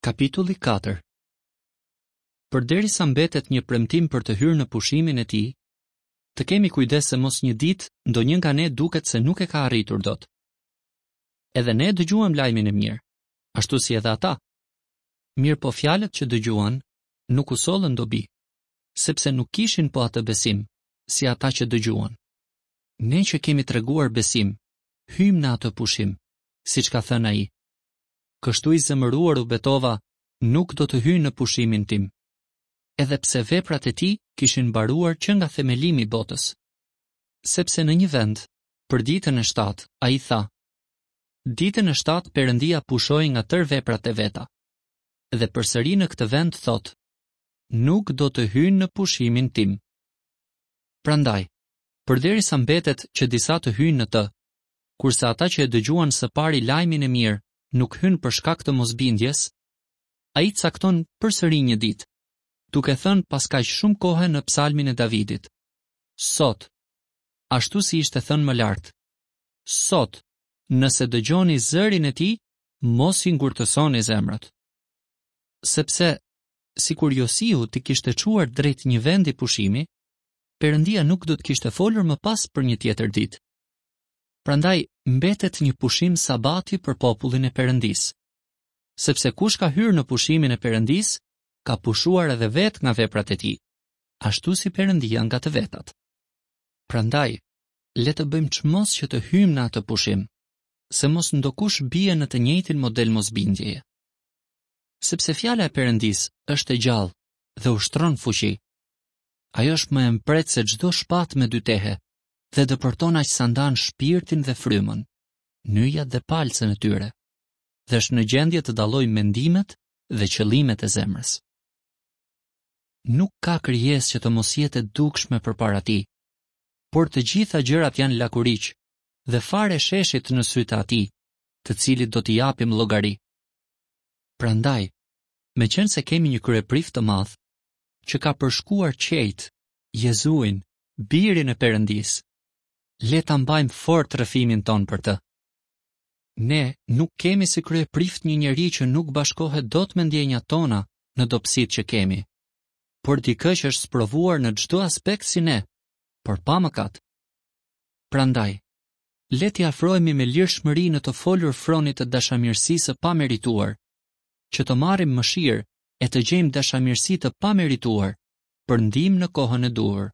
Kapitulli 4 Përderisa mbetet një premtim për të hyrë në pushimin e tij, të kemi kujdes se mos një ditë ndonjë nga ne duket se nuk e ka arritur dot. Edhe ne dëgjuam lajmin e mirë, ashtu si edhe ata. Mirëpo fjalët që dëgjuan nuk u sollën dobi, sepse nuk kishin po atë besim, si ata që dëgjuan. Ne që kemi treguar besim, hyjmë në atë pushim, siç ka thënë ai. Kështu i zemëruar u betova, nuk do të hyjnë në pushimin tim. Edhe pse veprat e tij kishin mbaruar që nga themelimi i botës. Sepse në një vend, për ditën e shtatë, ai tha: Ditën e shtatë Perëndia pushoi nga tërë veprat e veta. Dhe përsëri në këtë vend thotë: Nuk do të hyjnë në pushimin tim. Prandaj, përderisa mbetet që disa të hyjnë në të, kurse ata që e dëgjuan së pari lajmin e mirë nuk hynë për shkak të mosbindjes, ai cakton përsëri një ditë, duke thënë pas kaq shumë kohe në psalmin e Davidit. Sot, ashtu si ishte thënë më lart, sot, nëse dëgjoni zërin e tij, mos i ngurtësoni zemrat. Sepse, sikur Josiu t'i kishte çuar drejt një vendi pushimi, Perëndia nuk do të kishte folur më pas për një tjetër ditë. Prandaj mbetet një pushim sabati për popullin e Perëndisë. Sepse kush ka hyrë në pushimin e Perëndisë, ka pushuar edhe vetë nga veprat e tij, ashtu si Perëndia nga të vetat. Prandaj, le të bëjmë çmos që të hyjmë në atë pushim, se mos ndokush bie në të njëjtin model mosbindjeje. Sepse fjala e Perëndisë është e gjallë dhe ushtron fuqi. Ajo është më e mprehtë se çdo shpatë me dy tehe dhe depërton aq sa ndan shpirtin dhe frymën, nyjat dhe palcën e tyre, dhe është në gjendje të dallojë mendimet dhe qëllimet e zemrës. Nuk ka krijesë që të mos jetë e dukshme përpara tij, por të gjitha gjërat janë lakuriq dhe farë e sheshit në sytë e atij, të cilit do t'i japim llogari. Prandaj, meqenëse kemi një kryeprift të madh, që ka përshkuar qiejt, Jezuin, Birin e Perëndisë, le ta mbajmë fort rrëfimin tonë për të. Ne nuk kemi si kryeprift një njeri që nuk bashkohet dot me ndjenjat tona në dobësitë që kemi, por dikë që është sprovuar në çdo aspekt si ne, por pa mëkat. Prandaj, le t'i afrohemi me lirshmëri në të folur fronit të dashamirësisë së pamerituar, që të marrim mëshirë e të gjejmë dashamirësi të pamerituar për ndihmë në kohën e duhur.